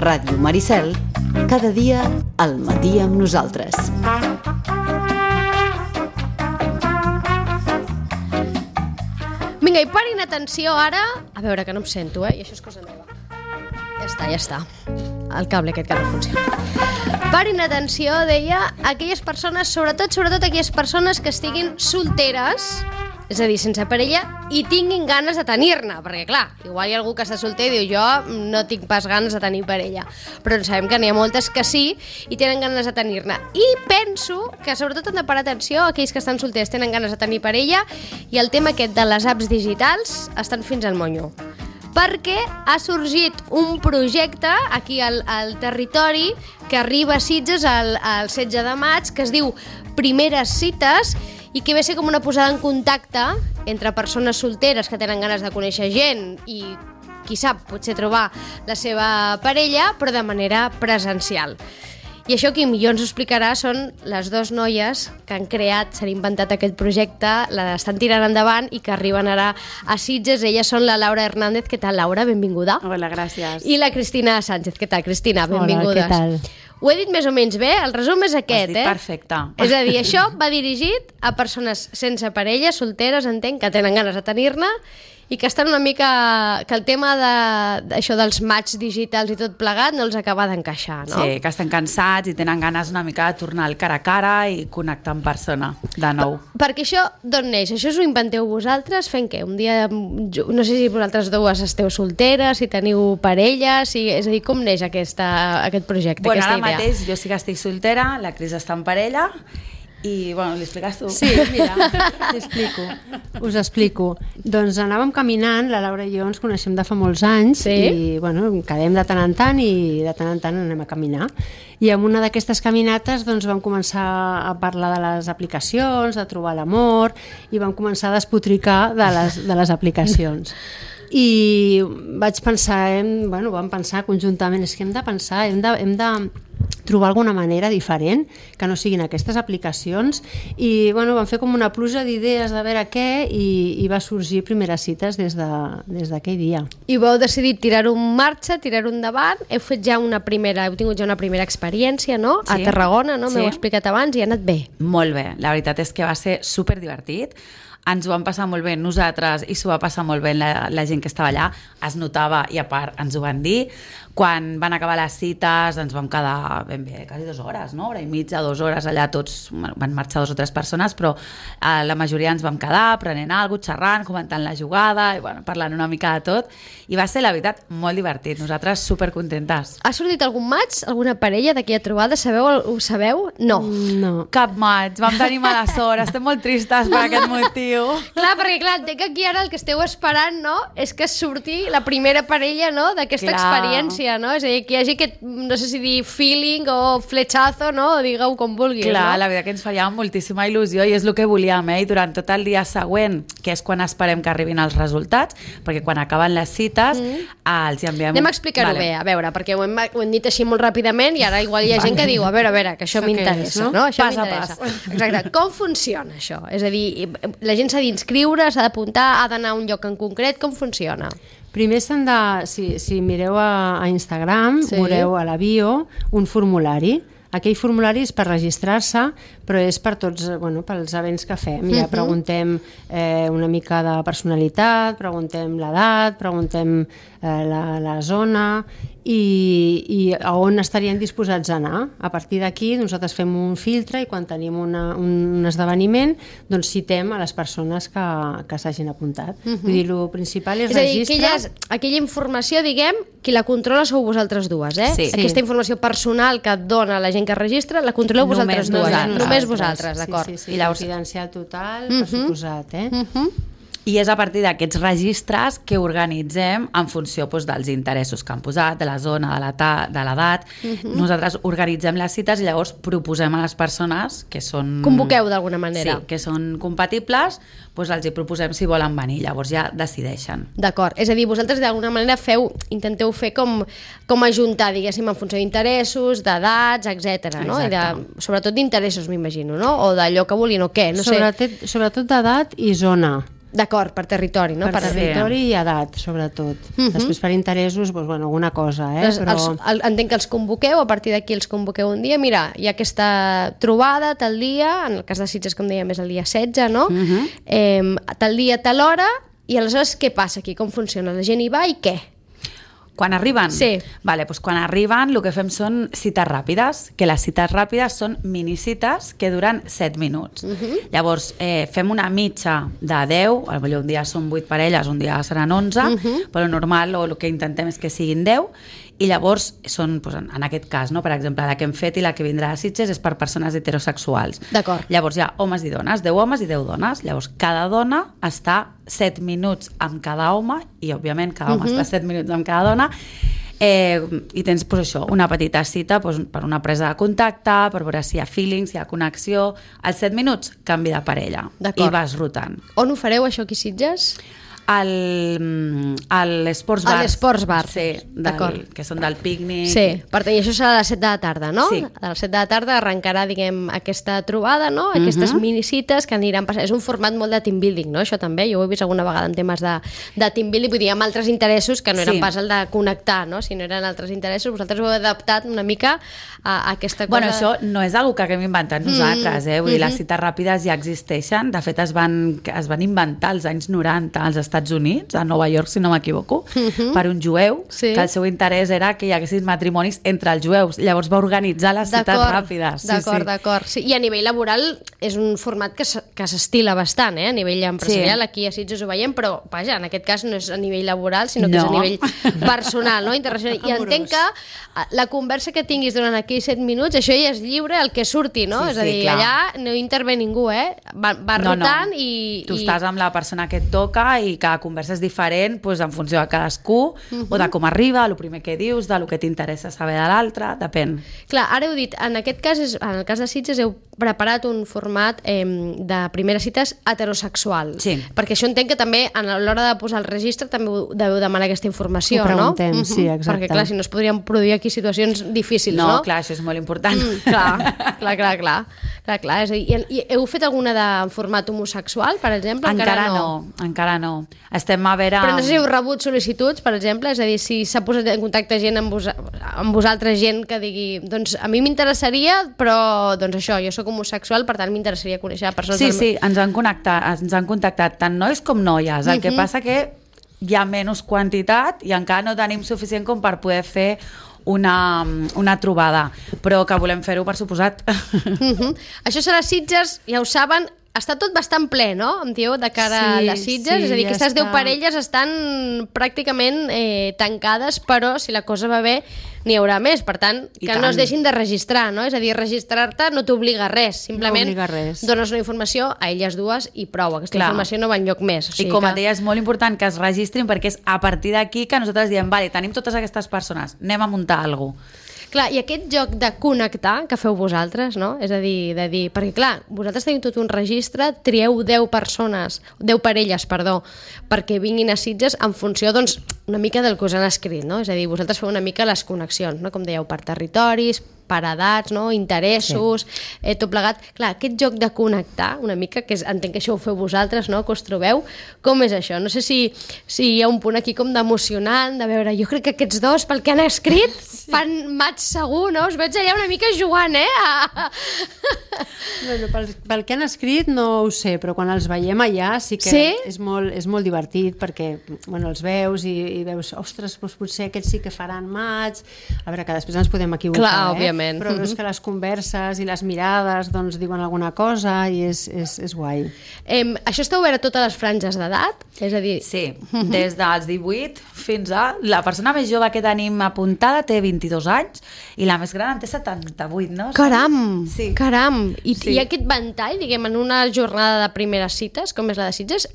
Ràdio Maricel, cada dia al matí amb nosaltres. Vinga, i parin atenció ara... A veure, que no em sento, i això és cosa nova. Ja està. El cable aquest que no funciona. Parin atenció, deia, aquelles persones, sobretot aquelles persones que estiguin solteres, és a dir, sense parella, i tinguin ganes de tenir-ne, perquè clar, igual hi ha algú que està solter i diu jo no tinc pas ganes de tenir parella, però sabem que n'hi ha moltes que sí i tenen ganes de tenir-ne. I penso que sobretot han de parar atenció aquells que estan solters, tenen ganes de tenir parella, i el tema aquest de les apps digitals estan fins al monyo. Perquè ha sorgit un projecte aquí al territori que arriba a Sitges el 16 de maig, que es diu Primeres Cites, i que ve a ser com una posada en contacte entre persones solteres que tenen ganes de conèixer gent i, qui sap, potser trobar la seva parella, però de manera presencial. I això qui millor ens ho explicarà són les dues noies que han creat, s'han inventat aquest projecte, l'estan tirant endavant i que arriben ara a Sitges. Elles són la Laura Hernández. Què tal, Laura? Benvinguda. Hola, gràcies. I la Cristina Sánchez. Què tal, Cristina? Benvingudes. Hola, què tal? Ho he dit més o menys bé? El resum és aquest, Has dit perfecte. És a dir, això va dirigit a persones sense parella, solteres, entenc, que tenen ganes de tenir-ne i que estan una mica... que el tema d'això dels matchs digitals i tot plegat no els acaba d'encaixar, no? Sí, que estan cansats i tenen ganes una mica de tornar al cara a cara i connectar en persona, de nou. Perquè això d'on neix? Això us ho inventeu vosaltres? Fent què? Un dia... No sé si vosaltres dues esteu solteres, si teniu parella, és a dir, com neix aquest projecte, aquesta idea? Ara mateix jo sí que estic soltera, la Cris està en parella i, bueno, li expliques tu? Sí, mira, us explico. Doncs anàvem caminant, la Laura i jo ens coneixem de fa molts anys, sí? I, bueno, quedem de tant en tant i de tant en tant anem a caminar. I en una d'aquestes caminates doncs, vam començar a parlar de les aplicacions, de trobar l'amor, i vam començar a despotricar de les aplicacions. I vaig pensar, vam pensar conjuntament, és que hem de pensar, hem de trobar alguna manera diferent que no siguin aquestes aplicacions i vam fer com una pluja d'idees de veure què i va sorgir Primeres Cites des d'aquell dia. I vau decidir tirar-ho en marxa, tirar-ho endavant, heu tingut ja una primera experiència, no? Sí. A Tarragona, no? Sí. M'heu explicat abans i ha anat bé. Molt bé, la veritat és que va ser superdivertit. Ens ho vam passar molt bé nosaltres i s'ho va passar molt bé la gent que estava allà, es notava i a part ens ho van dir. Quan van acabar les cites ens vam quedar ben bé, quasi 2 hores, no? Hora i mitja, 2 hores allà, tots van marxar 2 o 3 persones, però la majoria ens vam quedar prenent alguna cosa, xerrant, comentant la jugada i parlant una mica de tot, i va ser la veritat molt divertit, nosaltres supercontentes. Ha sortit algun match, alguna parella d'aquella trobada? Ho sabeu? No. No. Cap match, vam tenir mala sort, estem molt tristes per aquest motiu. Clar, perquè entenc que aquí ara el que esteu esperant, no?, és que surti la primera parella, no?, d'aquesta experiència, no? És a dir, que hi hagi aquest, no sé si dir feeling o fletxazo, no?, digueu com vulguis, Clar, no? la veritat que ens faria moltíssima il·lusió i és el que volíem, i durant tot el dia següent, que és quan esperem que arribin els resultats, perquè quan acaben les cites els enviem... Anem a explicar-ho bé, a veure, perquè ho hem dit així molt ràpidament i ara igual hi ha gent que diu, a veure, que això m'interessa, no? Això m'interessa. Exacte. Com funciona això? És a dir, la gent s'ha d'inscriure, s'ha d'apuntar, ha d'anar a un lloc en concret, com funciona? Primer si mireu a Instagram, veureu a la bio un formulari. Aquell formulari és per registrar-se, però és per tots, pels events que fem. Ja preguntem una mica de personalitat, preguntem l'edat, preguntem la zona i a on estarien disposats a anar. A partir d'aquí nosaltres fem un filtre i quan tenim un esdeveniment doncs citem a les persones que s'hagin apuntat. Vull dir, el principal és registre... És a dir, aquella informació, diguem, qui la controla sou vosaltres dues, eh? Sí. Aquesta informació personal que et dona la gent que registra, la controleu vosaltres dues. Només vosaltres, d'acord. Sí, confidencial total, per suposat, I és a partir d'aquests registres que organitzem en funció dels interessos que han posat, de la zona, de l'edat. Nosaltres organitzem les cites i llavors proposem a les persones que són... Convoqueu d'alguna manera. Sí, que són compatibles, els hi proposem si volen venir, llavors ja decideixen. D'acord, és a dir, vosaltres d'alguna manera intenteu fer com ajuntar, diguéssim, en funció d'interessos, d'edats, etc. No? Sobretot d'interessos, m'imagino, no? O d'allò que volien o què, no sé. Sobretot d'edat i zona. D'acord, per territori, no? Per territori i edat, sobretot. Després per interessos, doncs, bueno, alguna cosa, però... Entenc que els convoqueu, a partir d'aquí els convoqueu un dia, mira, hi ha aquesta trobada tal dia, en el cas de Sitges, com dèiem, és el dia 16, no? Tal dia, tal hora, i aleshores què passa aquí? Com funciona? La gent hi va i què? Quan arriben? Sí. Vale, doncs quan arriben el que fem són cites ràpides, que les cites ràpides són minicites que duren 7 minuts. Llavors, fem una mitja de 10, potser un dia són 8 parelles, un dia seran 11, però normal, o el que intentem és que siguin 10, i llavors són, doncs, en aquest cas, no? Per exemple, la que hem fet i la que vindrà a Sitges és per persones heterosexuals. D'acord. Llavors hi ha homes i dones, 10 homes i 10 dones. Llavors cada dona està 7 minuts amb cada home i, òbviament, cada home està 7 minuts amb cada dona. I tens, doncs, això, una petita cita doncs, per una presa de contacte, per veure si hi ha feeling, si hi ha connexió. Als 7 minuts, canvi de parella. I vas rotant. On ho fareu, això aquí a Sitges? A l'Esports Bar. A l'Esports Bar. Sí, que són del pícnic. Sí, per tant, i això serà a les 7 de la tarda, no? Sí. A les 7 de la tarda arrencarà, diguem, aquesta trobada, no? Aquestes minicites que aniran passant. És un format molt de team building, no? Això també, jo ho he vist alguna vegada en temes de team building, vull dir, amb altres interessos que no eren pas el de connectar, no? Si no eren altres interessos, vosaltres ho heu adaptat una mica a aquesta cosa. Bueno, això no és una cosa que hem inventat nosaltres, Vull dir, les cites ràpides ja existeixen. De fet, es van inventar als anys 90 als Estats Units, a Nova York, si no m'equivoco, per un jueu, que el seu interès era que hi haguessin matrimonis entre els jueus. Llavors va organitzar les cites ràpides. D'acord. Sí, i a nivell laboral és un format que s'estila bastant, a nivell empresarial. Aquí a Sitges ho veiem, però, vaja, en aquest cas no és a nivell laboral, sinó que és a nivell personal, no? Internacional. I entenc que la conversa que tinguis durant aquells 7 minuts, això ja és lliure, el que surti, no? És a dir, allà no intervé ningú, va rotant i... Tu estàs amb la persona que et toca i cada conversa és diferent, doncs, en funció de cadascú, o de com arriba, el primer que dius, del que t'interessa saber de l'altre, depèn. Clar, ara heu dit, en aquest cas, en el cas de Sitges, heu preparat un format de primeres cites heterosexual. Sí. Perquè això entenc que també, a l'hora de posar el registre, també deveu demanar aquesta informació, no? Ho preguntem, sí, exacte. Perquè, clar, si no es podrien produir aquí situacions difícils, no? No, clar, això és molt important. Clar. És a dir, i heu fet alguna de format homosexual, per exemple? Encara no. Estem a veure... Però no sé si heu rebut sol·licituds, per exemple, és a dir, si s'ha posat en contacte gent amb vosaltres, gent que digui, doncs a mi m'interessaria, però doncs això, jo sóc homosexual, per tant m'interessaria conèixer persones... Sí, ens han contactat tant nois com noies. El que passa que hi ha menys quantitat i encara no tenim suficient com per poder fer una trobada, però que volem fer-ho, per suposat. Això serà Sitges, ja ho saben, està tot bastant ple, no? Em dieu, de cara a les Sitges, és a dir, que aquestes 10 parelles estan pràcticament tancades, però si la cosa va bé n'hi haurà més, per tant, que no es deixin de registrar, no? És a dir, registrar-te no t'obliga a res, simplement dones una informació a elles dues i prou, aquesta informació no va enlloc més. I com a deia, és molt important que es registrin, perquè és a partir d'aquí que nosaltres diem, vale, tenim totes aquestes persones, anem a muntar alguna cosa. Clar, i aquest joc de connectar que feu vosaltres, no? És a dir, perquè clar, vosaltres teniu tot un registre, trieu 10 parelles, perquè vinguin a Sitges en funció, doncs, una mica del que us han escrit, no? És a dir, vosaltres feu una mica les connexions, no? Com dèieu, per territoris, per edats, no? Interessos, tot plegat. Clar, aquest joc de connectar, una mica, que entenc que això ho feu vosaltres, no? Que us trobeu, com és això? No sé si hi ha un punt aquí com d'emocionant, de veure, jo crec que aquests dos, pel que han escrit, fan match segur, no? Us veig allà una mica jugant, Bueno, pel que han escrit no ho sé, però quan els veiem allà sí que és molt divertit, perquè els veus i veus, ostres, doncs potser aquests sí que faran match, a veure, que després ens podem equivocar, clar, òbviament. Però veus que les converses i les mirades doncs diuen alguna cosa i és guai. Això està obert a totes les franges d'edat? És a dir... Sí, des dels 18 fins a... La persona més jove que tenim apuntada té 22 anys i la més gran en té 78, no? Caram! Sí. Caram! I aquest ventall, diguem, en una jornada de primeres cites, com és la de Sitges,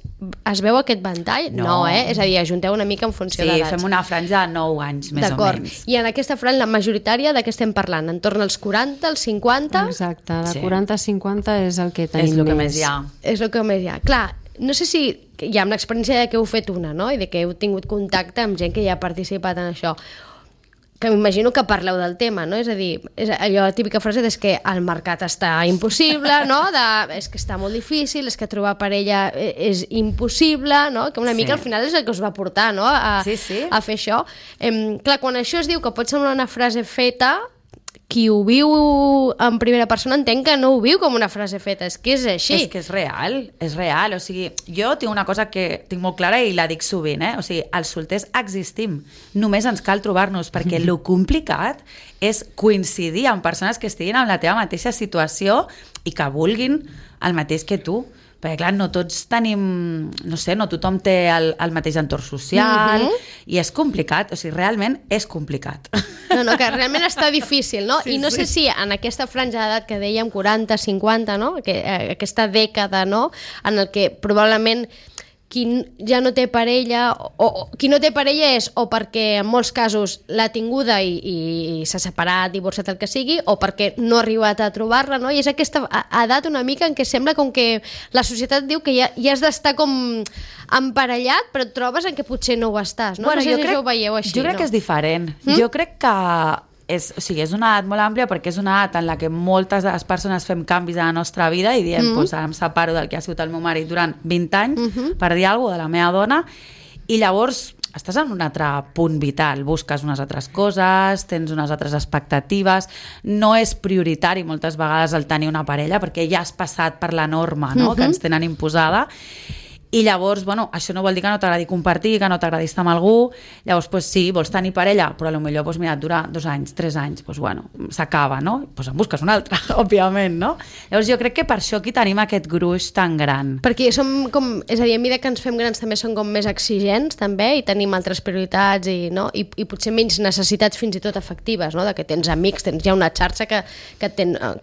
es veu aquest ventall? No, És a dir, ajunteu una mica en funció d'edats. Sí, fem una franja de 9 anys, més o menys. I en aquesta franja, la majoritària, de què estem parlant? Entorn als 40, als 50? Exacte, de 40 a 50 és el que tenim més. És el que més hi ha. És el que més hi ha. Clar, no sé si hi ha una experiència de que heu fet una, no? I de que heu tingut contacte amb gent que ja ha participat en això. que m'imagino que parleu del tema, no? És a dir, allò, la típica frase és que el mercat està impossible, no? És que està molt difícil, és que trobar parella és impossible, no? Que una mica al final és el que us va portar, no? A fer això. Clar, quan això es diu que pot semblar una frase feta, qui ho viu en primera persona entenc que no ho viu com una frase feta, és que és així. És que és real, o sigui, jo tinc una cosa que tinc molt clara i la dic sovint, o sigui, els solters existim, només ens cal trobar-nos, perquè lo complicat és coincidir amb persones que estiguin en la teva mateixa situació i que vulguin el mateix que tu. Perquè, clar, no tots tenim, no sé, no tothom té el mateix entorn social i és complicat, o sigui, realment és complicat. No, que realment està difícil, no? I no sé si en aquesta franja d'edat que dèiem, 40, 50, no? Aquesta dècada, no? En el que probablement qui ja no té parella, o qui no té parella és o perquè en molts casos l'ha tinguda i s'ha separat, divorciat, el que sigui, o perquè no ha arribat a trobar-la, no? I és aquesta edat una mica en què sembla com que la societat diu que ja has d'estar com emparellat, però et trobes en què potser no ho estàs, no? Bueno, no sé si ho veieu així, jo crec que és diferent. Jo crec que és una edat molt àmplia perquè és una edat en la que moltes de les persones fem canvis a la nostra vida i diem, doncs ara em separo del que ha sigut el meu marit durant 20 anys per dir alguna cosa de la meva dona, i llavors estàs en un altre punt vital, busques unes altres coses, tens unes altres expectatives, no és prioritari moltes vegades el tenir una parella perquè ja has passat per la norma, no? Que ens tenen imposada. I llavors, bueno, això no vol dir que no t'agradi compartir, que no t'agradi estar amb algú, llavors, pues, sí, vols tenir parella, però potser, pues, mira, dura 2 anys, 3 anys, pues, bueno, s'acaba, no? Pues en busques una altra, òbviament, no? Llavors jo crec que per això aquí tenim aquest gruix tan gran. Perquè som com, és a dir, a mesura que ens fem grans també som com més exigents, també, i tenim altres prioritats i potser menys necessitats fins i tot afectives, no? De que tens amics, tens ja una xarxa que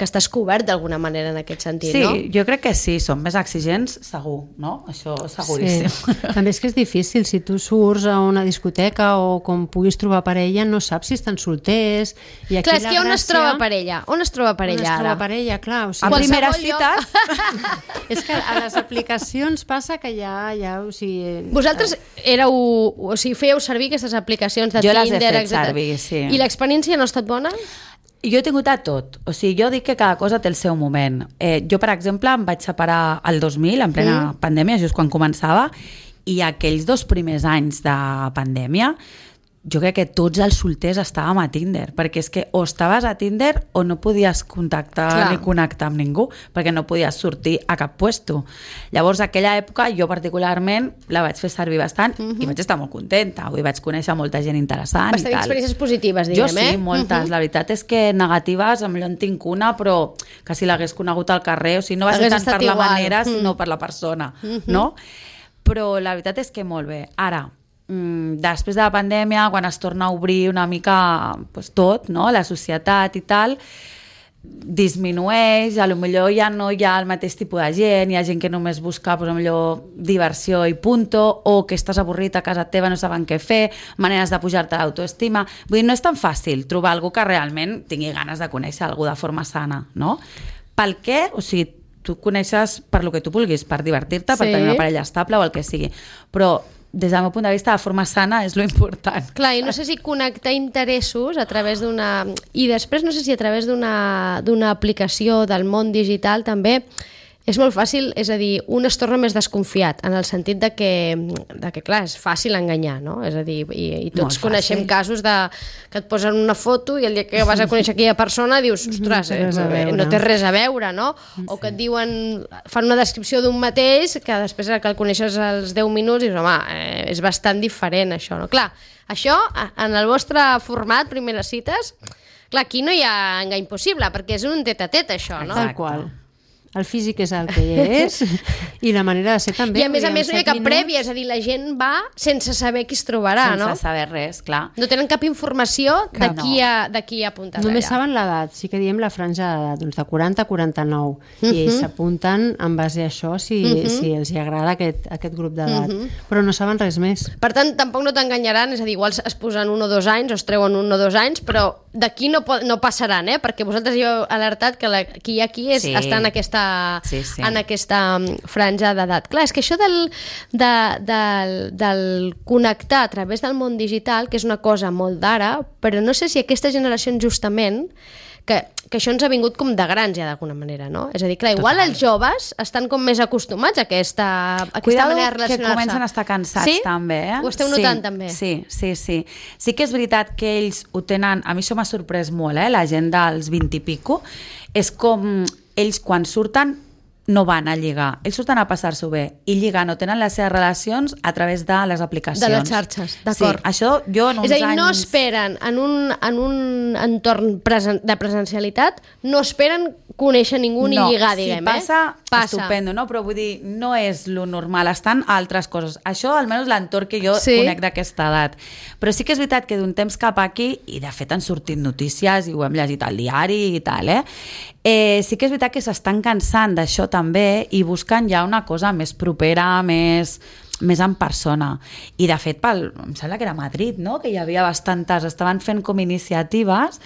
estàs cobert d'alguna manera en aquest sentit, no? Sí, jo crec que sí, som més exigents, segur, no? Això seguríssim. Sí. També és que és difícil, si tu surts a una discoteca o com puguis trobar parella, no saps si estan solters. I aquí clar, és que on es troba parella? On es troba parella ara? On es troba parella, clar. O sigui, a primeres cites. És que a les aplicacions passa que ja o sigui... Vosaltres fèieu servir aquestes aplicacions de Tinder, etc. Jo les he fet servir, sí. I l'experiència no ha estat bona? Jo he tingut a tot, o sigui, jo dic que cada cosa té el seu moment. Jo, per exemple, em vaig separar el 2000, en plena pandèmia, just quan començava, i aquells 2 primers anys de pandèmia, jo crec que tots els solters estàvem a Tinder, perquè és que o estaves a Tinder o no podies contactar ni connectar amb ningú, perquè no podies sortir a cap puesto. Llavors, aquella època, jo particularment la vaig fer servir bastant i vaig estar molt contenta, avui vaig conèixer molta gent interessant. Vas tenir experiències positives, diguem, Jo sí, moltes. La veritat és que negatives, amb en tinc una, però que si l'hagués conegut al carrer, o sigui, no va ser tant per la manera, sinó per la persona, no? Però la veritat és que molt bé. Ara, després de la pandèmia, quan es torna a obrir una mica pues, tot, no? La societat i tal, disminueix, potser ja no hi ha el mateix tipus de gent, hi ha gent que només busca potser diversió i punto, o que estàs avorrit a casa teva, no saben què fer, maneres de pujar-te l'autoestima. Vull dir, no és tan fàcil trobar algú que realment tingui ganes de conèixer algú de forma sana, no? Pel què? O sigui, tu coneixes per lo que tu vulguis, per divertir-te, per tenir una parella estable o el que sigui, però des del meu punt de vista, de forma sana és lo important. Clar, i no sé si connectar interessos a través d'una... I després no sé si a través d'una aplicació del món digital també és molt fàcil, és a dir, un es torna més desconfiat, en el sentit de que clar, és fàcil enganyar, no? És a dir, i tots coneixem casos que et posen una foto i el dia que vas a conèixer aquella persona dius, ostres, no té res a veure, no? O que et diuen, fan una descripció d'un mateix que després que el coneixes als 10 minuts dius, home, és bastant diferent això, no? Clar, això, en el vostre format, primeres cites, clar, aquí no hi ha engany possible, perquè és un tet-a-tet, això, no? Tal qual. El físic és el que és i la manera de ser també. I a més no hi ha cap prèvia, és a dir, la gent va sense saber qui es trobarà, no? Sense saber res, clar. No tenen cap informació de qui ha apuntat allà. Només saben l'edat, sí que diem la franja d'edat, doncs de 40 a 49, i ells s'apunten en base a això si els agrada aquest grup d'edat, però no saben res més. Per tant, tampoc no t'enganyaran, és a dir, igual es posen 1 o 2 anys o es treuen 1 o 2 anys, però d'aquí no passaran, perquè vosaltres ja heu alertat que qui hi ha aquí està en aquesta franja d'edat. Clar, és que això del connectar a través del món digital, que és una cosa molt d'ara, però no sé si aquesta generació justament que això ens ha vingut com de grans ja d'alguna manera, no? És a dir, clar, igual els joves estan com més acostumats a aquesta manera de relacionar-se. Que comencen a estar cansats també, Ho esteu notant també? Sí. Sí que és veritat que ells ho tenen, a mi això m'ha sorprès molt, la gent dels 20 i pico, és com ells quan surten no van a lligar, ells surten a passar-s'ho bé i lligar no tenen les seves relacions a través de les aplicacions. De les xarxes, d'acord. Sí, això jo en uns anys... És a dir, no esperen en un entorn de presencialitat, no esperen conèixer ningú ni lligar, diguem. No, si passa, estupendo, no? Però vull dir, no és lo normal, estan altres coses. Això, almenys l'entorn que jo conec d'aquesta edat. Però sí que és veritat que d'un temps cap aquí, i de fet han sortit notícies i ho hem llegit al diari i tal, sí que és veritat que s'estan cansant d'això també i busquen ja una cosa més propera, més en persona. I de fet, em sembla que era a Madrid, no? Que hi havia bastantes, estaven fent com iniciatives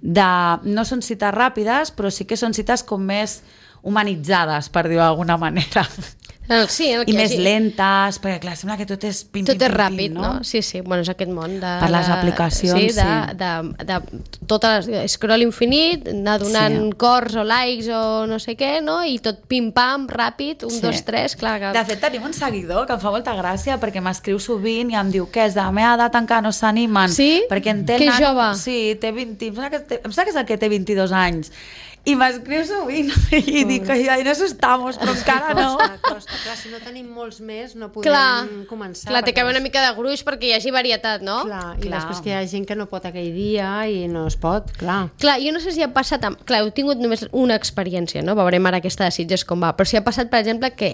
no són cites ràpides, però sí que són cites com més humanitzades, per dir-ho d'alguna manera. Sí, i més lentes, perquè clar, sembla que tot és pim, tot és ràpid, no? Sí, bueno, és aquest món per les aplicacions, de tot scroll infinit, anar donant cors o likes o no sé què, no? I tot pim-pam, ràpid, 1, 2, 3, clar que... De fet, tenim un seguidor que em fa molta gràcia perquè m'escriu sovint i em diu que és de la meva edat encara no s'animen. Sí? Perquè que és jove. Sí, té 20, em sembla que és el que té 22 anys. I m'escriu sovint i dic que ja no estamos, però encara no. Costa. Clar, si no tenim molts més no podem començar. Clar, té que haver una mica de gruix perquè hi hagi varietat, no? Clar, i després que hi ha gent que no pot aquell dia i no es pot, clar. Clar, jo no sé si ha passat... Clar, heu tingut només una experiència, no? Veurem ara aquesta de Sitges com va. Però si ha passat, per exemple, que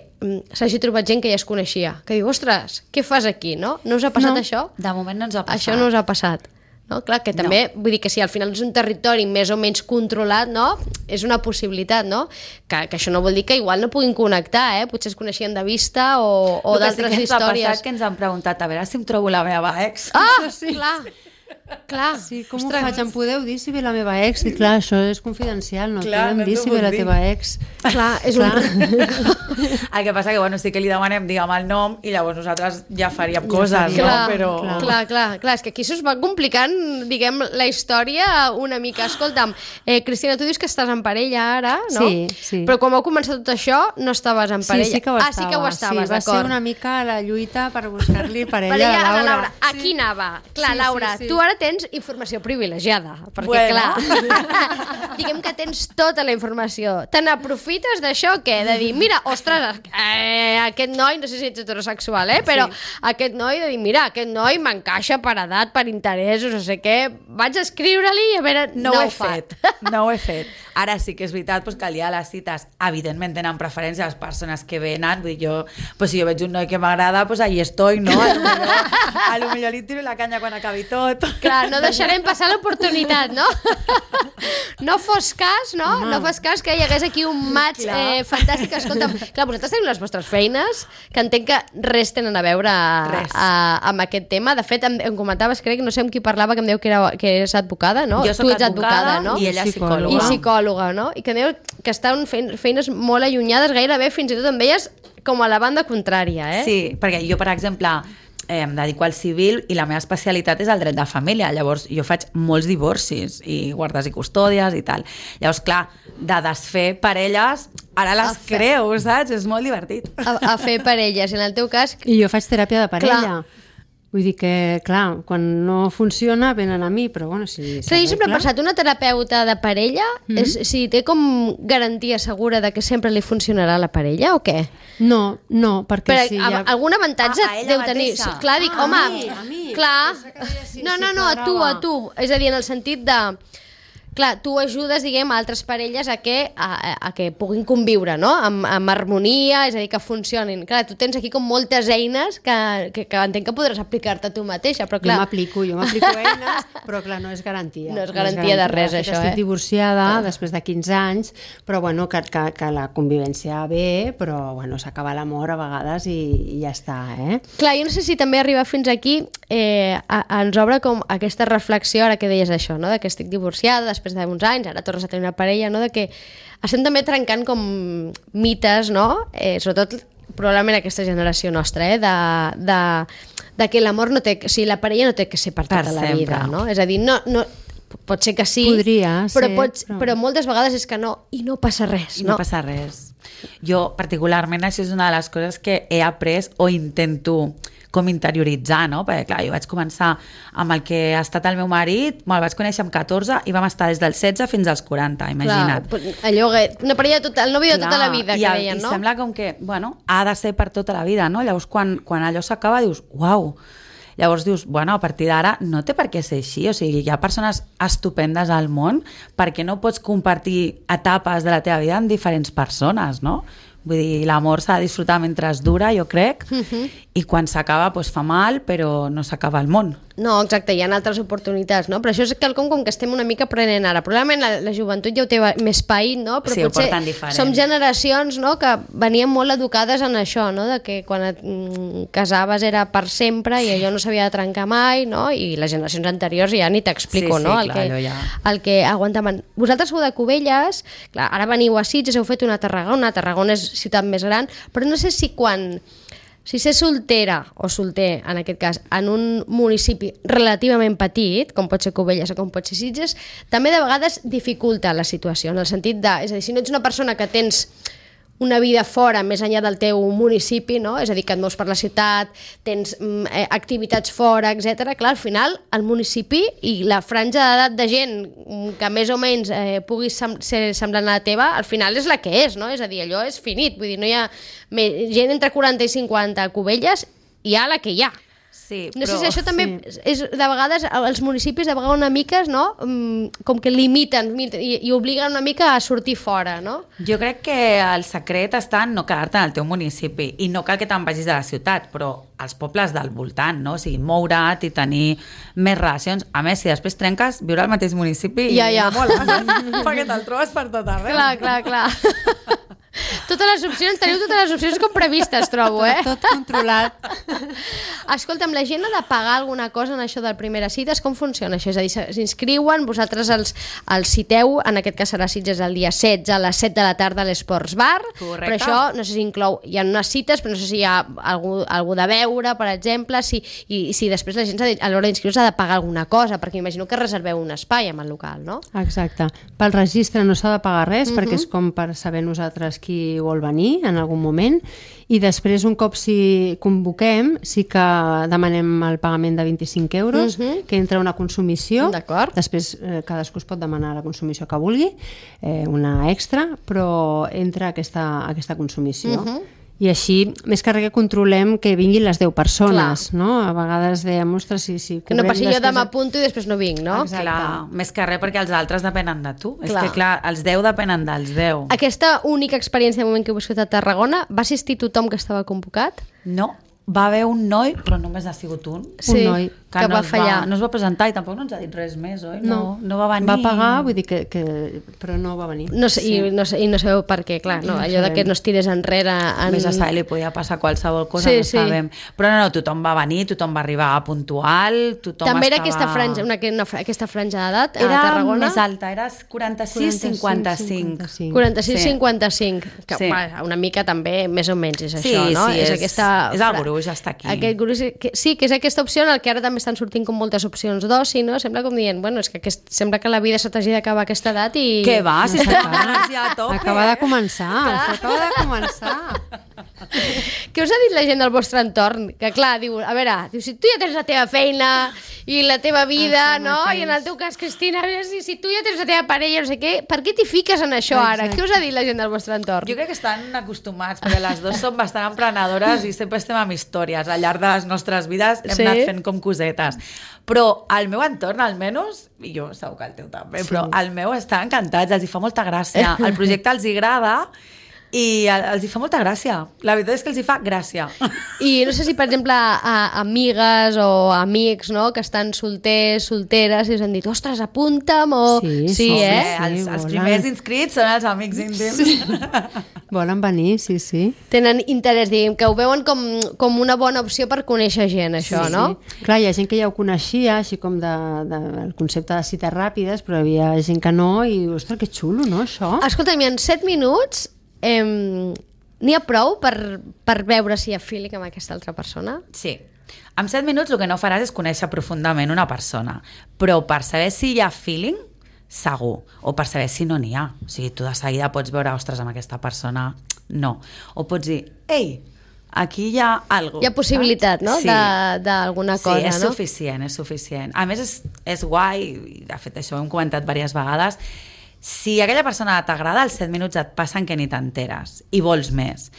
s'hagi trobat gent que ja es coneixia, que diu, ostres, què fas aquí, no? No us ha passat això? De moment no ens ha passat. Això no us ha passat. No? Clar, que també, vull dir que si al final és un territori més o menys controlat, no? És una possibilitat, no? Que això no vol dir que igual no puguin connectar, potser es coneixien de vista o d'altres històries. El que sí que ens ha passat que ens han preguntat a veure si em trobo la meva ex. Sí. Clar. Sí, com ho faig? Em podeu dir si ve la meva ex? I clar, això és confidencial, no podem dir si ve la teva ex. Clar, és El que passa que, bueno, sí que li demanem, diguem, el nom i llavors nosaltres ja faríem coses, no? Però... Clar, és que aquí s'us va complicant, diguem, la història una mica. Escolta'm, Cristina, tu dius que estàs en parella ara, no? Sí. Però quan heu començat tot això, no estaves en parella. Sí que ho estava. Sí que ho estaves, d'acord. Va ser una mica la lluita per buscar-li parella a la Laura. Aquí anava. Clar, Laura, tu ara tens informació privilegiada, perquè clar, diguem que tens tota la informació. Te n'aprofites d'això, què? De dir, mira, ostres, aquest noi, no sé si ets heterosexual, però aquest noi, de dir, mira, aquest noi m'encaixa per edat, per interessos, no sé què, vaig a escriure-li i a veure... No ho he fet. Ara sí que és veritat que el dia de les cites, evidentment tenen preferència les persones que venen, vull dir, si jo veig un noi que m'agrada, ahí estoy, no? A lo millor li tiro la canya quan acabi tot. Clar, no deixarem passar l'oportunitat, no? No fos cas, no? No fos cas que hi hagués aquí un match fantàstic. Escolta'm, clar, vosaltres teniu les vostres feines, que entenc que res tenen a veure amb aquest tema. De fet, em comentaves, crec, no sé amb qui parlava, que em diu que és advocada, no? Jo soc advocada, no? I ella psicòloga. I psicòloga, no? I que diu que estan fent feines molt allunyades, gairebé fins i tot amb elles com a la banda contrària, Sí, perquè jo, per exemple, em dedico al civil i la meva especialitat és el dret de família. Llavors, jo faig molts divorcis i guardes i custòdies i tal. Llavors, clar, de desfer parelles, ara les creu, saps? És molt divertit. A fer parelles, en el teu cas... I jo faig teràpia de parella. Clar. Vull dir que, clar, quan no funciona venen a mi, però bueno, si... Clar, jo sempre he pensat, una terapeuta de parella, si té com garantia segura de que sempre li funcionarà la parella o què? No, perquè si ja... Algun avantatge deu tenir. Clar, dic, home, a mi. Clar. No, a tu. És a dir, en el sentit de clar, tu ajudes, diguem, a altres parelles a que puguin conviure, no? Amb harmonia, és a dir, que funcionin. Clar, tu tens aquí com moltes eines que entenc que podràs aplicar-te a tu mateixa, però clar... Jo m'aplico eines, però clar, no és garantia. No és garantia de res, això, Estic divorciada després de 15 anys, però bueno, que la convivència ve, però bueno, s'acaba l'amor a vegades i ja està, Clar, jo no sé si també arribar fins aquí ens obre com aquesta reflexió, ara que deies això, no? De que estic divorciada després d'uns anys, ara tornes a tenir una parella, no? De que estem també trencant com mites, no? Sobretot probablement aquesta generació nostra, de que l'amor no té... O sigui, la parella no té que ser per tota la vida, no? És a dir, no, pot ser que sí, podria ser, però moltes vegades és que no, i no passa res. No passa res. Jo, particularment, això és una de les coses que he après o intento com interioritzar, no? Perquè, clar, jo vaig començar amb el que ha estat el meu marit, el vaig conèixer amb 14 i vam estar des dels 16 fins als 40, imagina't. Clar, allò, una parella, el nòvio de tota la vida, que deien, no? I sembla com que, bueno, ha de ser per tota la vida, no? Llavors, quan allò s'acaba, dius, uau! Llavors dius, bueno, a partir d'ara no té per què ser així, o sigui, hi ha persones estupendes al món, perquè no pots compartir etapes de la teva vida amb diferents persones, no? Vull dir, l'amor s'ha de disfrutar mentre es dura, jo crec, i quan s'acaba doncs fa mal, però no s'acaba el món. No, exacte, hi ha altres oportunitats, no? Però això és quelcom com que estem una mica aprenent ara. Probablement la joventut ja ho té més paït, no? Però sí, potser som generacions, no?, que venien molt educades en això, no?, de que quan et casaves era per sempre i allò no s'havia de trencar mai, no? I les generacions anteriors ja ni t'explico, sí, no? Clar, el que aguantaven. Vosaltres sou de Cubelles, clar, ara veniu a Sitges, heu fet una Tarragona és ciutat més gran, però no sé si si ser soltera o solter, en aquest cas, en un municipi relativament petit, com pot ser Cubelles o com pot ser Sitges, també de vegades dificulta la situació, en el sentit de... És a dir, si no ets una persona que tens una vida fora, més enllà del teu municipi, no? És a dir, que et mous per la ciutat, tens activitats fora, etc. Clar, al final, el municipi i la franja d'edat de gent que més o menys pugui ser semblant a la teva, al final és la que és, no? És a dir, allò és finit, vull dir, no hi ha gent entre 40 i 50 a Cubelles, hi ha la que hi ha. Sí, no sé si això també és, de vegades, els municipis de vegades una mica, no? Com que limiten i obliguen una mica a sortir fora, no? Jo crec que el secret està en no quedar-te en el teu municipi i no cal que te'n vagis de la ciutat, però als pobles del voltant, no? O sigui, moure't i tenir més relacions. A més, si després trenques, viure al mateix municipi ja. No mola, perquè te'l trobes per tot arreu. Clar. Teniu totes les opcions com previstes, trobo, Tot controlat. Escolta'm, la gent ha de pagar alguna cosa en això del Primeres Cites? Com funciona això? És a dir, s'inscriuen, vosaltres els citeu, en aquest cas serà Sitges el dia 16 a les 7 de la tarda a l'Esports Bar. Correcte. Però això, no sé si inclou, hi ha unes cites, però no sé si hi ha algú de veure, per exemple, i si després la gent a l'hora d'inscriure-se ha de pagar alguna cosa, perquè m'imagino que reserveu un espai amb el local, no? Exacte. Pel registre no s'ha de pagar res, perquè és com per saber nosaltres qui vol venir en algun moment, i després un cop si convoquem sí que demanem el pagament de 25 euros, que entra una consumició. D'acord. Després cadascú es pot demanar la consumició que vulgui, una extra, però entra aquesta consumició. I així, més que res que controlem que vinguin les 10 persones, no? A vegades dèiem, ostres, si que no passi jo demà apunto i després no vinc, no? Exacte. Clar, més que res perquè els altres depenen de tu. És que clar, els 10 depenen dels 10. Aquesta única experiència de moment que heu viscut a Tarragona, va assistir tothom que estava convocat? No, va haver un noi, però només ha sigut un. Sí, un noi que va fallar. No es va presentar i tampoc no ens ha dit res més, oi? No va venir. Va pagar, vull dir però no va venir. No sé, i no sabeu per què, clar, no, allò de que no es tirés enrere... Més a saber, li podia passar qualsevol cosa, no sabem. Però no, tothom va venir, tothom va arribar puntual, tothom també era estava... aquesta franja d'edat a Tarragona? Era més alta, era 46-55. 46-55, que una mica també, més o menys, és això, no? Sí, és el gruix, està aquí. Aquest gruix, sí, que és aquesta opció en el que ara també estan sortint com moltes opcions d'oci, no? Sembla com dient, bueno, és que sembla que la vida se t'hagi d'acabar a aquesta edat i... Què va? Si estem ja a tope. Acaba de començar, acaba de començar. Què us ha dit la gent del vostre entorn? Que clar, diu, a veure, diu, si tu ja tens la teva feina i la teva vida, no? I en el teu cas, Cristina, a veure, si tu ja tens la teva parella, no sé què, per què t'hi fiques en això ara? Què us ha dit la gent del vostre entorn? Jo crec que estan acostumats, perquè les dues som bastant emprenedores i sempre estem amb històries. Al llarg de les nostres vides hem anat fent com cosetes. Però al meu entorn, almenys, i jo segur que el teu també, però al meu estan encantats, els hi fa molta gràcia. El projecte els hi agrada i els hi fa molta gràcia. La veritat és que els hi fa gràcia. I no sé si, per exemple, amigues o amics, no?, que estan solters, solteres, i us han dit, ostres, apunta'm, o... Sí, els primers inscrits són els amics íntims. Sí. Volen venir, sí. Tenen interès, diguem, que ho veuen com una bona opció per conèixer gent, això, no? Sí. Clar, hi ha gent que ja ho coneixia, així com el concepte de cites ràpides, però hi havia gent que no, i, ostres, que xulo, no, això? Escolta'm, en 7 minuts n'hi ha prou per veure si hi ha feeling amb aquesta altra persona? Sí. En 7 minuts el que no faràs és conèixer profundament una persona, però per saber si hi ha feeling, segur, o per saber si no n'hi ha. O sigui, tu de seguida pots veure, ostres, amb aquesta persona, no. O pots dir, ei, aquí hi ha alguna cosa. Hi ha possibilitat, no?, d'alguna cosa, no? Sí, és suficient. A més, és guai, i de fet això ho hem comentat diverses vegades, si aquella persona t'agrada, als 7 minuts et passen que ni t'enteres i vols més.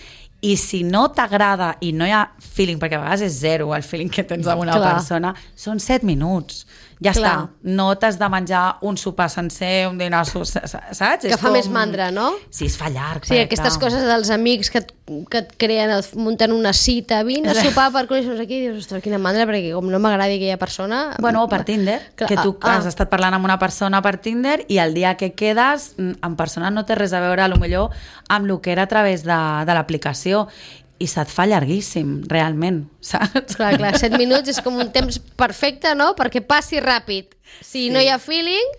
I si no t'agrada i no hi ha feeling, perquè a vegades és zero el feeling que tens amb una persona, són 7 minuts. Ja està. No t'has de menjar un sopar sencer, un dinar, saps? Que fa més mandra, no? Sí, es fa llarg. Sí, aquestes coses dels amics que et creen, munten una cita, vine a sopar per conèixer-nos aquí, i dius, ostres, quina mandra, perquè com no m'agradi aquella persona... Bueno, o per Tinder, que tu has estat parlant amb una persona per Tinder i el dia que quedes, en persona no té res a veure, potser amb el que era a través de l'aplicació, i se't fa llarguíssim, realment, saps? Clar, 7 minuts és com un temps perfecte, no?, perquè passi ràpid, si no hi ha feeling,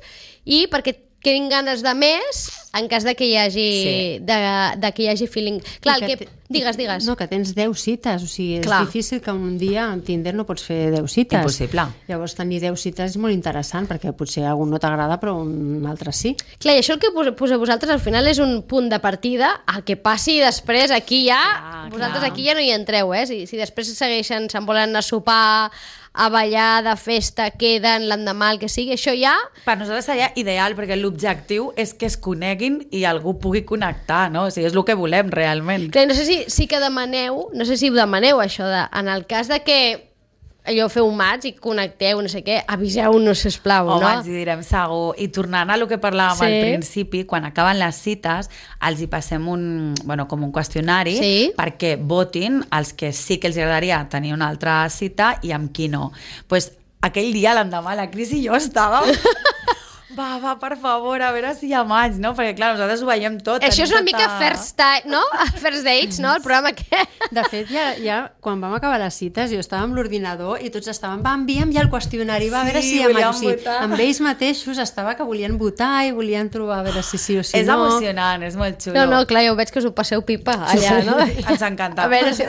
i perquè quedin ganes de més en cas de que hi hagi feeling. Clar, digues. No, que tens 10 cites, o sigui, és difícil que un dia en Tinder no pots fer 10 cites. Impossible. Llavors tenir 10 cites és molt interessant, perquè potser algun no t'agrada però un altre sí. Clar, i això el que posa vosaltres al final és un punt de partida, el que passi després aquí ja, vosaltres aquí ja no hi entreu, si després segueixen, se'n volen anar a sopar, a ballar, de festa, queden l'endemà, el que sigui, això ja... Per nosaltres seria ideal, perquè l'objectiu és que es coneguin i algú pugui connectar, no? O sigui, és el que volem, realment. Clar, no sé si que demaneu, no sé si ho demaneu, això, en el cas de que allò feu un match i connecteu, no sé què, aviseu-nos, sisplau, no? Home, ens hi direm segur. I tornant a lo que parlàvem al principi, quan acaben les cites, els hi passem com un qüestionari perquè votin els que sí que els agradaria tenir una altra cita i amb qui no. Pues aquell dia, l'endemà, la Cris i jo estàvem... Va, per favor, a veure si hi ha maig, no? Perquè, clar, nosaltres ho veiem tot. Això és una mica first dates, no? El programa que... De fet, ja quan vam acabar les cites, jo estava amb l'ordinador i tots estaven, envia'm ja el qüestionari, a veure si hi ha maig. O sigui, amb ells mateixos estava que volien votar i volien trobar a veure si sí o si no. És emocionant, és molt xulo. No, clar, jo veig que us ho passeu pipa allà, no? Ens encanta. A veure si...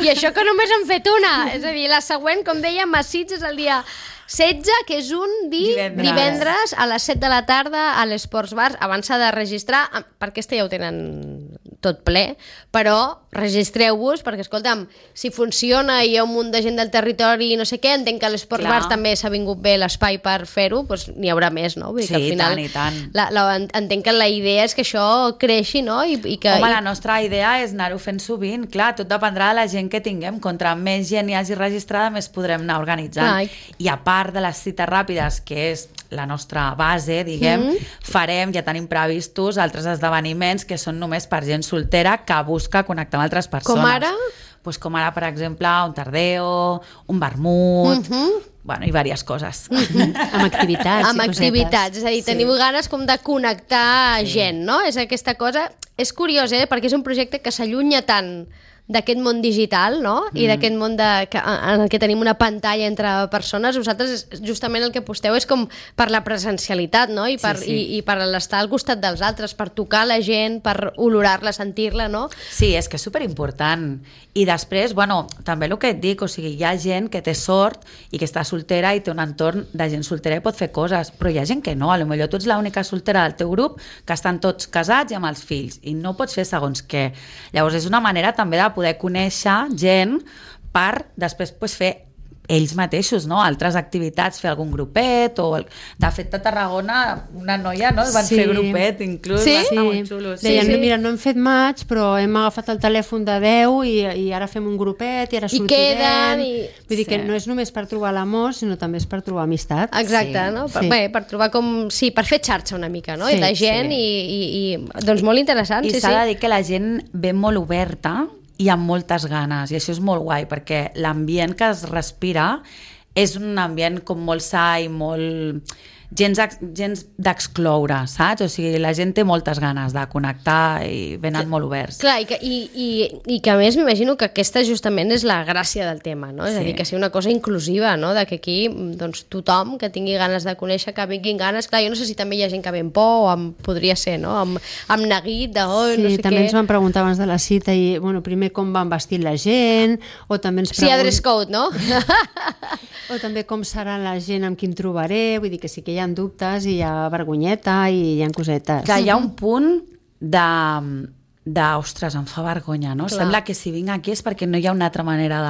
I això que només hem fet una. És a dir, la següent, com dèiem, a Sitges és el dia 16, que és un divendres a les 7 de la tarda a l'Esports Bar. Abans s'ha de registrar, perquè ja ho tenen tot ple, però registreu-vos, perquè, escolta'm, si funciona i hi ha un munt de gent del territori i no sé què, entenc que a l'Esports Bar també s'ha vingut bé l'espai per fer-ho, doncs n'hi haurà més, no? Vull dir que al final, i tant. Entenc que la idea és que això creixi, no? Home, la nostra idea és anar-ho fent sovint, clar, tot dependrà de la gent que tinguem, contra més gent hi hagi registrada, més podrem anar organitzant. I a part de les cites ràpides, que és la nostra base, diguem, farem, ja tenim previstos altres esdeveniments que són només per gent soltera que busca connectar amb altres persones. Com ara? Pues com ara, per exemple, un tardeo, un vermut, i diverses coses. Amb activitats. Amb activitats, és a dir, teniu ganes com de connectar gent, no? És aquesta cosa... És curiós, perquè és un projecte que s'allunya tant d'aquest món digital, no? I d'aquest món en el que tenim una pantalla entre persones, vosaltres justament el que aposteu és com per la presencialitat, no? I per l'estar al costat dels altres, per tocar la gent, per olorar-la, sentir-la, no? Sí, és que és superimportant. I després, bueno, també el que et dic, o sigui, hi ha gent que té sort i que està soltera i té un entorn de gent soltera i pot fer coses, però hi ha gent que no, potser tu ets l'única soltera del teu grup que estan tots casats i amb els fills i no pots fer segons què. Llavors és una manera també de poder conèixer gent per després fer ells mateixos, no? Altres activitats, fer algun grupet de fet a Tarragona una noia, no? Van fer grupet inclús, va estar molt xulo. Deien, mira, no hem fet maig però hem agafat el telèfon de 10 i ara fem un grupet i ara sortirem. Vull dir que no és només per trobar l'amor, sinó també és per trobar amistat. Exacte, no? Per trobar per fer xarxa una mica, no? I de gent i doncs molt interessant. I s'ha de dir que la gent ve molt oberta i amb moltes ganes, i això és molt guai perquè l'ambient que es respira és un ambient com molt sa i molt gens d'excloure, saps? O sigui, la gent té moltes ganes de connectar i venen molt oberts. Clar, i que a més m'imagino que aquesta justament és la gràcia del tema, no? És a dir, que sigui una cosa inclusiva, no? De que aquí doncs, tothom que tingui ganes de conèixer, que vinguin ganes, clar, jo no sé si també hi ha gent que ve amb por o podria ser, no? Amb neguit de no sé què. Sí, també ens van preguntar abans de la cita i, bueno, primer com van vestir la gent, o també ens Sí, hi ha dress code, no? O també com serà la gent amb qui em trobaré, vull dir que sí que hi ha dubtes i hi ha vergonyeta i hi ha cosetes. Que hi ha un punt ostres, em fa vergonya, no? Clar. Sembla que si vinc aquí és perquè no hi ha una altra manera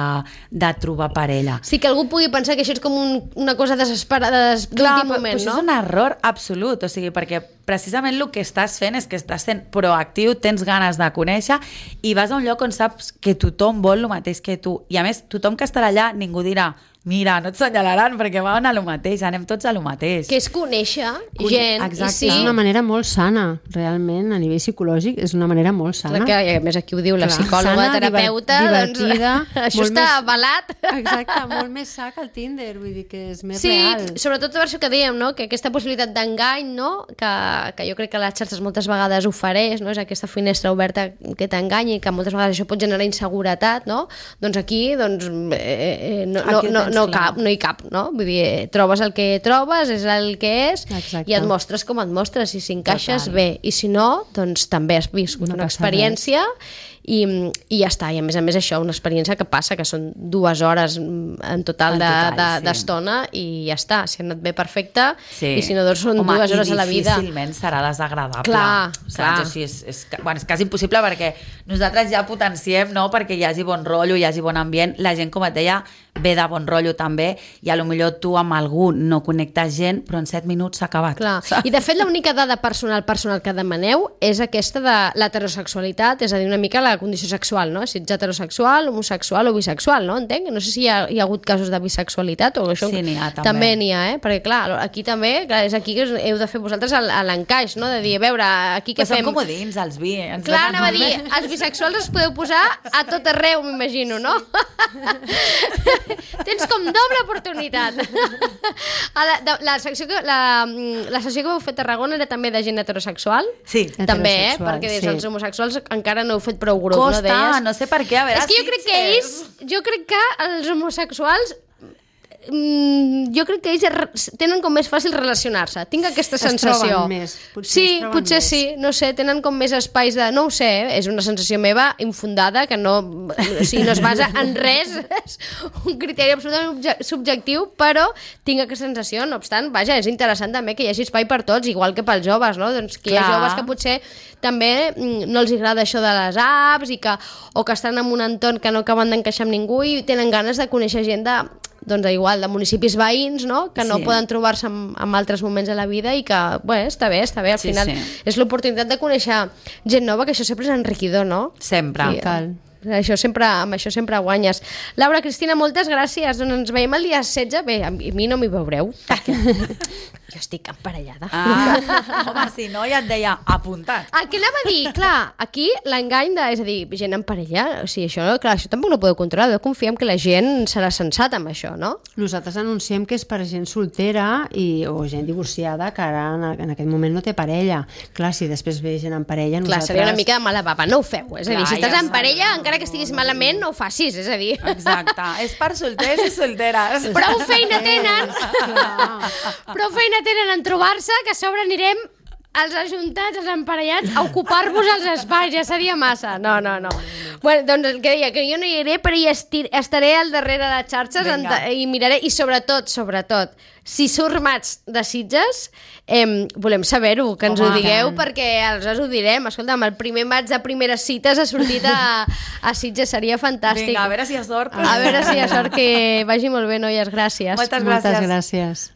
de trobar parella. Sí, que algú pugui pensar que això és com una cosa desesperada d'últim moment, no? Això és un error absolut, o sigui, perquè precisament el que estàs fent és que estàs sent proactiu, tens ganes de conèixer i vas a un lloc on saps que tothom vol el mateix que tu. I a més, tothom que estarà allà, ningú dirà mira, no et senyalaran perquè van a lo mateix, anem tots a lo mateix. Que és conèixer gent. Exacte. És una manera molt sana, realment, a nivell psicològic, és una manera molt sana. Clar, que a més aquí ho diu la psicòloga, sana, terapeuta, divertida, doncs això està avalat. Exacte, molt més sa que el Tinder, vull dir que és més real. Sí, sobretot per això que dèiem, no? Que aquesta possibilitat d'engany, no? Que jo crec que les xarxes moltes vegades ofereix, no? És aquesta finestra oberta que t'enganyi i que moltes vegades això pot generar inseguretat, no? Doncs aquí, no hi cap, no? Vull dir, trobes el que trobes, és el que és. Exacte. I et mostres com et mostres, i si encaixes bé, i si no, doncs també has viscut una experiència i ja està, i a més això, una experiència que passa, que són 2 hores en total d'estona i ja està, si ha anat bé perfecte i si no, doncs són 2 hores a la vida. I difícilment serà desagradable. Clar. O sigui, és quasi impossible perquè nosaltres ja potenciem, no?, perquè hi hagi bon rotllo, hi hagi bon ambient, la gent, com et deia, ve de bon rotllo també, i potser tu amb algú no connectes gent, però en 7 minuts s'ha acabat. Clar. I de fet l'única dada personal que demaneu és aquesta de l'heterosexualitat, és a dir, una mica la condició sexual, no? Si ets heterosexual, homosexual o bisexual, no? Entenc? No sé si hi ha hagut casos de bisexualitat o això. Sí, n'hi ha, també. També n'hi ha, perquè clar, aquí també, és aquí que heu de fer vosaltres l'encaix, no? De dir, a veure, aquí què fem? Som comodins, els bi. Clar, anava a dir, els bisexuals es podeu posar a tot arreu, m'imagino, no? Tens com doble oportunitat. La sessió que vau fer a Tarragona era també de gent heterosexual? Sí. També, perquè des dels homosexuals encara no heu fet prou grup. Costa, no sé per què, a veure... És que jo crec que els homosexuals jo crec que ells tenen com més fàcil relacionar-se, tinc aquesta sensació. Es troben més. Potser sí, no sé, tenen com més espais de... No ho sé, és una sensació meva infundada que no es basa en res, és un criteri absolutament subjectiu, però tinc aquesta sensació, no obstant, vaja, és interessant també que hi hagi espai per tots, igual que pels joves, no? Doncs que hi ha joves que potser també no els agrada això de les apps o que estan en un entorn que no acaben d'encaixar amb ningú i tenen ganes de conèixer gent de municipis veïns, no? Que no poden trobar-se en altres moments de la vida i que, bé, està bé, al final és l'oportunitat de conèixer gent nova, que això sempre és enriquidor, no? Sempre. Sí, amb això sempre guanyes. Laura, Cristina, moltes gràcies. Doncs ens veiem el dia 16. Bé, a mi no m'hi veureu. Jo estic emparellada. Home, si no, ja et deia apuntat. El que anava a dir, clar, aquí l'engany és a dir, gent en parella, o sigui, això tampoc no podeu controlar, confiem que la gent serà sensata amb això, no? Nosaltres anunciem que és per gent soltera o gent divorciada que ara en aquest moment no té parella. Clar, si després ve gent en parella, Clar, seria una mica de mala bava, no ho feu. És a dir, si estàs en parella, encara que estiguis malament, no ho facis, és a dir... Exacte, és per solters i solteres. Prou feina tenen en trobar-se, que a sobre anirem els ajuntats, els emparellats, a ocupar-vos els espais, ja seria massa. No. Bueno, doncs el que deia, que jo no hi iré, però hi estaré al darrere de xarxes i miraré, i sobretot, si formats de Sitges, volem saber-ho, que ens ho digueu, perquè aleshores ho direm. Escolta'm, el primer maig de primeres cites ha sortit a Sitges, seria fantàstic. Vinga, a veure si hi ha sort. A veure si hi ha sort, que vagi molt bé, noies, gràcies. Moltes gràcies. Moltes gràcies.